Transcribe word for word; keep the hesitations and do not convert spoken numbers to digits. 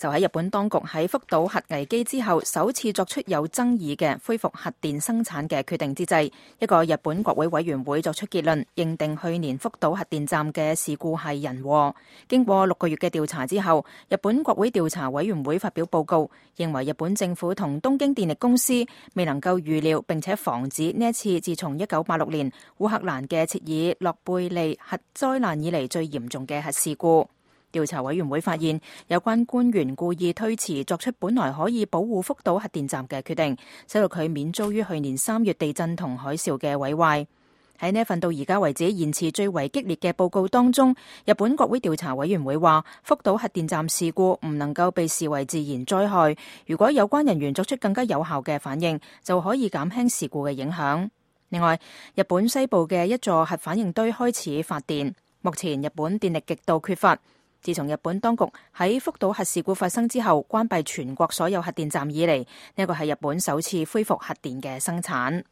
就喺日本當局喺福島核危機之後首次作出有爭議嘅恢復核電生產嘅決定之際，一個日本國會委員會作出結論，認定去年福島核電站嘅事故係人禍。經過六個月嘅調查之後，日本國會調查委員會發表報告，認為日本政府同東京電力公司未能夠預料並且防止呢一次自從一九八六年烏克蘭嘅切爾諾貝利核災難以嚟最嚴重嘅核事故。調查委員會發現，有關官員故意推遲作出本來可以保護福島核電站嘅決定，使到佢免遭於去年三月地震同海嘯嘅毀壞。喺呢一份到而家為止言辭最為激烈嘅報告當中，日本國會調查委員會話，福島核電站事故唔能夠被視為自然災害，如果有關人員作出更加有效嘅反應，就可以減輕事故嘅影響。另外，日本西部嘅一座核反應堆開始發電，目前日本電力極度缺乏。自從日本當局喺福島核事故發生之後關閉全國所有核電站以嚟，呢個係日本首次恢復核電嘅生產。